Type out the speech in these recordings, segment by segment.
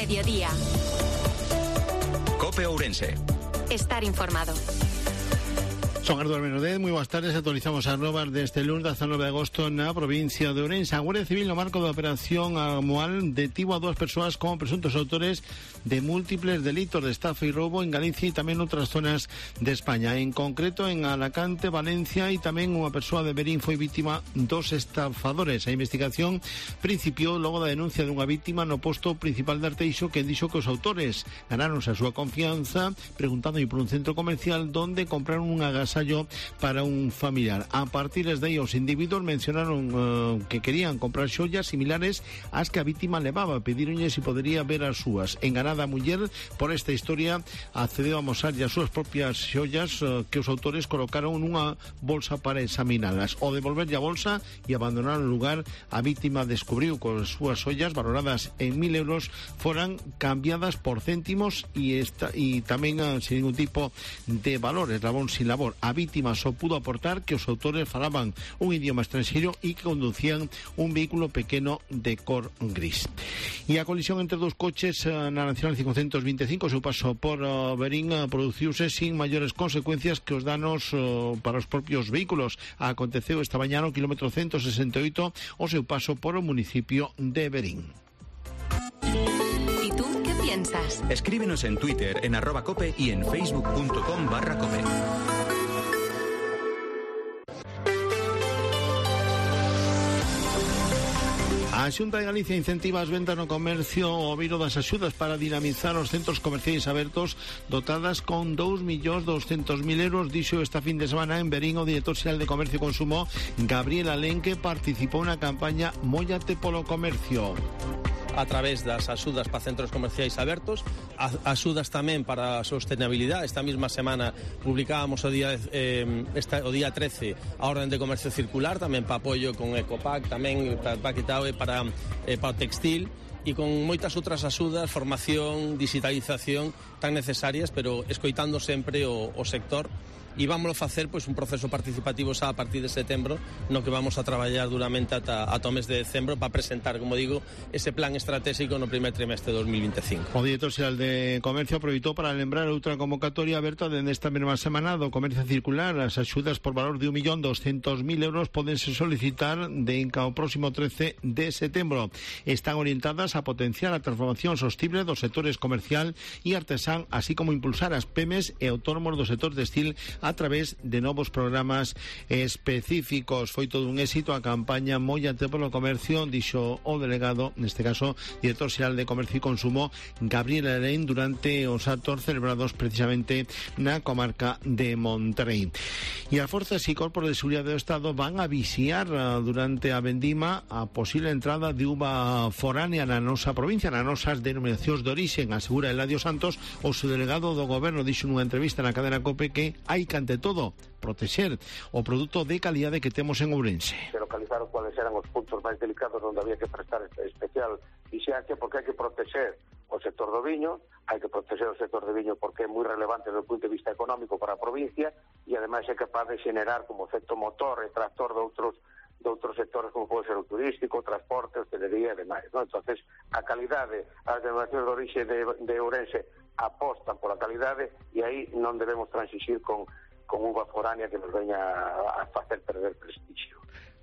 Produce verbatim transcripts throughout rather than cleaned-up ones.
mediodía. COPE Ourense. Estar informado. Son Eduardo Benodez, moi boas tardes. Actualizamos as novas deste lunes dezanove de agosto na provincia de Ourense. A Guardia Civil, no marco da operación anual, detivo a dúas persoas como presuntos autores de múltiples delitos de estafa e roubo en Galicia e tamén outras zonas de España. En concreto, en Alacante, Valencia e tamén unha persoa de Verín foi vítima dos estafadores. A investigación principiou logo da denuncia dunha vítima no posto principal de Arteixo, que dixo que os autores ganaronse a súa confianza preguntando por un centro comercial donde compraron unha agasallo para un familiar. A partir de aí, os individuos mencionaron uh, que querían comprar xollas similares ás que a vítima levaba. Pedironlle se podería ver as súas. Enganada a muller por esta historia, accedeu a mostrar as súas propias xollas uh, que os autores colocaron nunha bolsa para examinalas. O devolverlle a bolsa e abandonar o lugar, a vítima descubriu que as súas xollas, valoradas en mil euros, foran cambiadas por céntimos e, esta, e tamén uh, sin ningún tipo de valores, labón sin labor. A vítima só pudo aportar que os autores falaban un idioma estranxeiro e que conducían un vehículo pequeno de cor gris. E a colisión entre dos coches na Nacional cincocentos vinte e cinco, o seu paso por uh, Verín, uh, produciuse sin maiores consecuencias que os danos uh, para os propios vehículos. Aconteceu esta mañá no kilómetro ciento sesenta e oito o seu paso por o municipio de Verín. ¿Y tú qué piensas? Escríbenos en Twitter, en arroba cope y en facebook.com barra cope. A Xunta de Galicia incentiva as ventas no comercio ao viro das axudas para dinamizar os centros comerciais abertos, dotadas con dous millóns doscentos mil euros, dixo esta fin de semana en Verín o director xeral de Comercio e Consumo, Gabriel Alén, que participou na campaña Móllate polo Comercio. A través das axudas para centros comerciais abertos, axudas tamén para a sostenibilidade. Esta mesma semana publicábamos o día eh, esta, o día trece a orden de comercio circular, tamén para apoio con Ecopac, tamén para Paquetao e para, eh, para o textil, e con moitas outras axudas, formación, digitalización tan necesarias, pero escoitando sempre o, o sector. E vámoslo facer pois un proceso participativo xa a partir de setembro, no que vamos a traballar duramente ata, ata o mes de decembro para presentar, como digo, ese plan estratégico no primer trimestre de dos mil vinte e cinco. O director xeral de Comercio aproveitou para lembrar outra convocatoria aberta dende esta mesma semana do Comercio Circular. As axudas por valor de un millón doscentos mil euros podense solicitar de ao próximo trece de setembro. Están orientadas a potenciar a transformación sostible do sectores comercial e artesán, así como impulsar as pymes e autónomos do sector textil a través de novos programas específicos. Foi todo un éxito a campaña Móllate polo Comercio, dixo o delegado, neste caso, director xeral de Comercio e Consumo, Gabriel Alén, durante os actos celebrados precisamente na comarca de Monterrey. E as forzas e corpos de seguridade do Estado van a vixiar durante a vendima a posible entrada de uva foránea na nosa provincia, nas nosas denominacións de orixen, asegura Eladio Santos, o seu delegado do goberno. Dixo nunha entrevista na cadena COPE que hai que ante todo protexer o produto de calidade que temos en Ourense. Se localizaron cuáles eran os puntos máis delicados onde había que prestar especial vixiancia, porque hai que protexer o sector do viño, hai que protexer o sector do viño porque é moi relevante desde o punto de vista económico para a provincia e ademais é capaz de xenerar como efecto motor e tractor de outros de outros sectores como pode ser o turístico, o transporte, hostelería e demais, ¿no? Entonces, a calidade, as denominacións de orixe de, de Ourense apostan pola calidade e aí non debemos transixir con con uva foránea que nos veña a facer perder prestigio.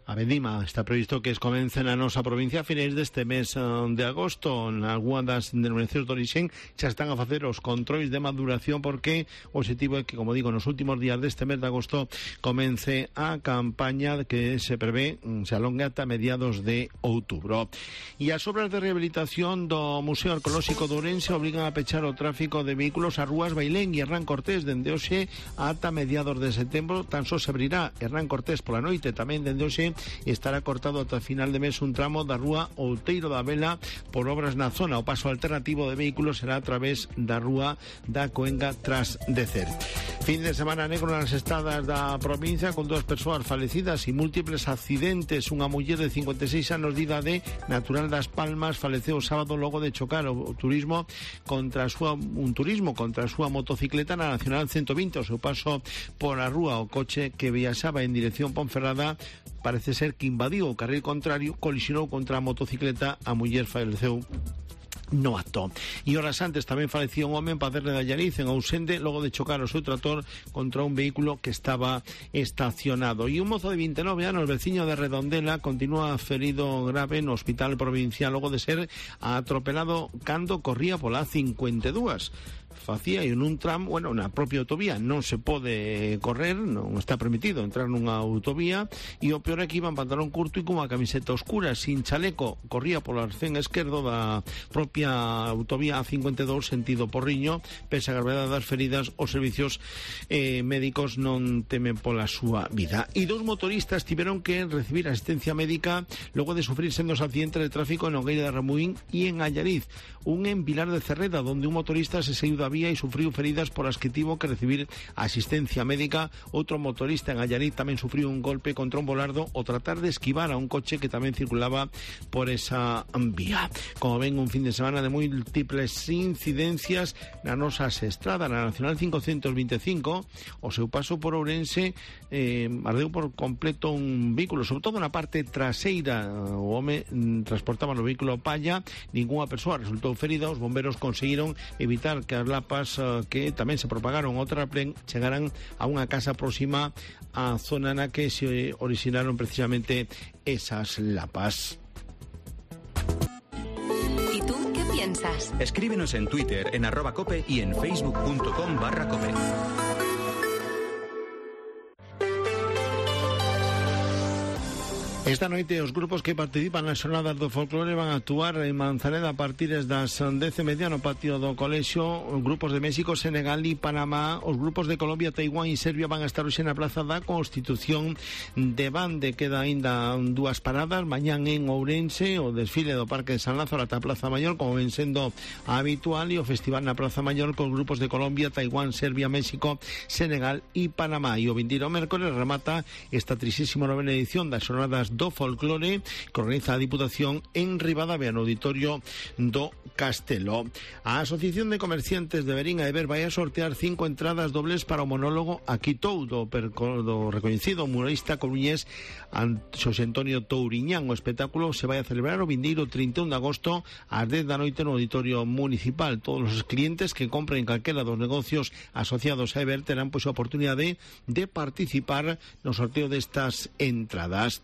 A vendima está previsto que comece na nosa provincia a finais deste mes de agosto. En algunhas das denominacións de orixen xa están a facer os controis de maduración, porque o objetivo é que, como digo, nos últimos días deste mes de agosto comence a campaña que se prevé se alonga ata mediados de outubro. E as obras de rehabilitación do Museo Arqueolóxico de Ourense obrigan a pechar o tráfico de vehículos a rúas Bailén e Hernán Cortés dende hoxe ata mediados de setembro. Tan só se abrirá Hernán Cortés pola noite, tamén dende hoxe estará cortado ata final de mes un tramo da rúa Outeiro da Vela por obras na zona. O paso alternativo de vehículos será a través da rúa da Coenga tras de Cer. Fin de semana negro nas estradas da provincia, con dúas persoas falecidas e múltiples accidentes. Unha muller de cincuenta e seis anos de idade, natural das Palmas, faleceu o sábado logo de chocar o turismo contra a súa, un turismo contra a súa motocicleta na Nacional ciento vinte. O seu paso por a rúa, o coche que viaxaba en dirección Ponferrada parece ser que invadiu o carril contrario, colisionou contra a motocicleta, a muller faleceu no acto. E horas antes tamén falecía un home en Paderne de Allariz, en Ousende, logo de chocar o seu trator contra un vehículo que estaba estacionado. E un mozo de vinte e nove anos, veciño de Redondela, continúa ferido grave no hospital provincial logo de ser atropelado cando corría pola cincuenta e dúas. Facía en un tram, bueno, na propia autovía non se pode correr, non está permitido entrar nunha autovía, e o peor é que iba en pantalón curto e con unha camiseta oscura, sin chaleco, corría polo arcén esquerdo da propia autovía A cincuenta e dous sentido Porriño. Pese a gravedade das feridas, os servicios eh, médicos non temen pola súa vida. E dous motoristas tiveron que recibir asistencia médica logo de sufrir sendos accidentes de tráfico en Nogueira de Ramuín e en Allariz. Un en Vilar de Cerreda, donde un motorista se saiu da vía e sufriu feridas por as que tivo que recibir asistencia médica. Outro motorista en Allariz tamén sufriu un golpe contra un volardo ao tratar de esquivar a un coche que tamén circulaba por esa vía. Como ven, un fin de semana de múltiples incidencias na nosa estrada. Na Nacional cincocentos veinticinco, o seu paso por Ourense, eh, ardeu por completo un vehículo, sobre todo na parte traseira. O home transportaba no vehículo palla, ningunha persoa resultou ferida. Os bomberos conseguiron evitar que as lapas uh, que tamén se propagaron ao terraplén chegaran a unha casa próxima á zona na que se originaron precisamente esas lapas. ¿Y tú qué piensas? Escríbenos en Twitter, en arroba cope y en facebook.com barra cope. Esta noite os grupos que participan nas xornadas do folclore van a actuar en Manzaneda a partir das dez e media no patio do colexio. Grupos de México, Senegal e Panamá. Os grupos de Colombia, Taiwán e Serbia van a estar hoxe na Plaza da Constitución de Bande. Queda aínda dúas paradas. Mañán en Ourense o desfile do Parque de San Lázaro ata a Plaza Maior, como ven sendo habitual, e o festival na Plaza Maior con grupos de Colombia, Taiwán, Serbia, México, Senegal e Panamá. E o vindeiro mércores remata esta trixésima novena edición das xornadas do folclore que organiza a Diputación en Ribadavia, no auditorio do Castelo. A Asociación de Comerciantes de Verín a Eber vai a sortear cinco entradas dobles para o monólogo Aquitou do, do recoñecido muralista coruñés Xosé Antonio Touriñán. O espectáculo se vai a celebrar o vindeiro trinta e un de agosto ás dez da noite no auditorio municipal. Todos os clientes que compren calquera dos negocios asociados a Eber terán pois a oportunidade de participar no sorteo destas entradas.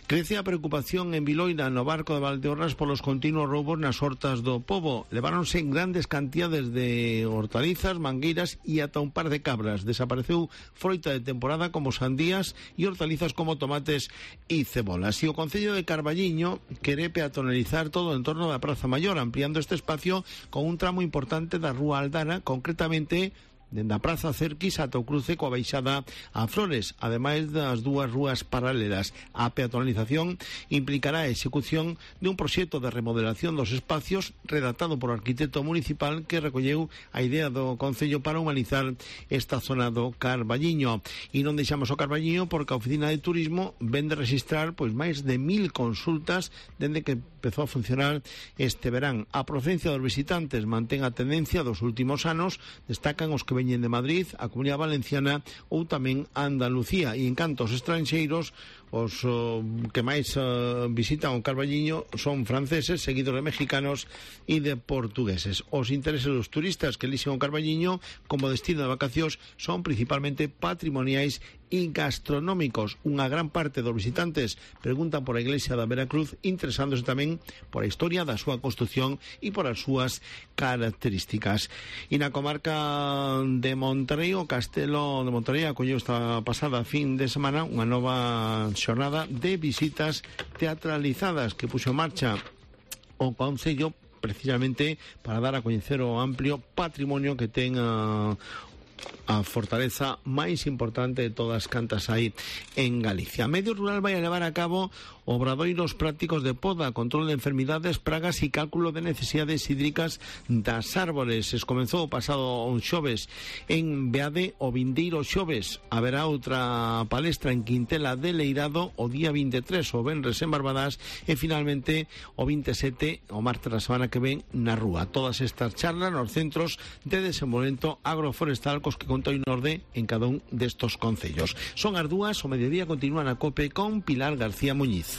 Crece a preocupación en Viloira, no barco de Valdeorras, polos continuos roubos nas hortas do pobo. Leváronse en grandes cantidades de hortalizas, mangueiras e ata un par de cabras. Desapareceu froita de temporada como sandías e hortalizas como tomates e cebolas. E o Concello de Carballiño quere peatonalizar todo o entorno da Praza Maior, ampliando este espacio con un tramo importante da Rúa Aldana, concretamente dende a Praza Cerquis ata o cruce coa baixada a Flores, ademais das dúas rúas paralelas. A peatonalización implicará a execución de un proxecto de remodelación dos espacios redactado por o arquitecto municipal que recolleu a idea do Concello para humanizar esta zona do Carballiño. E non deixamos o Carballiño porque a Oficina de Turismo vende registrar pois máis de mil consultas dende que empezou a funcionar este verán. A procedencia dos visitantes mantén a tendencia dos últimos anos, destacan os que veñen de Madrid, a Comunidade Valenciana ou tamén Andalucía. E en canto aos estranxeiros, os uh, que máis uh, visitan o Carballiño son franceses, seguidos de mexicanos e de portugueses. Os intereses dos turistas que elixen o Carballiño como destino de vacacións son principalmente patrimoniais e gastronómicos. Unha gran parte dos visitantes preguntan por a iglesia da Veracruz, interesándose tamén por a historia da súa construción e por as súas características. E na comarca de Monterrey, o Castelo de Monterrey acolleu esta pasada fin de semana unha nova xornada de visitas teatralizadas que puxo en marcha o Concello precisamente para dar a coñecer o amplio patrimonio que ten a a fortaleza máis importante de todas cantas aí en Galicia. Medio Rural vai a levar a cabo obradoiros prácticos de poda, control de enfermidades, pragas e cálculo de necesidades hídricas das árbores. Es comenzou o pasado xoves en Beade o vindeiro xoves. Haberá outra palestra en Quintela de Leirado o día vinte e tres, o venres en Barbadas, e finalmente o vinte e sete, o martes da semana que ven, na Rúa. Todas estas charlas nos centros de desenvolvemento agroforestal cos que conta o Norde en cada un destos concellos. Son as dúas, o mediodía continúa na COPE con Pilar García Muñiz.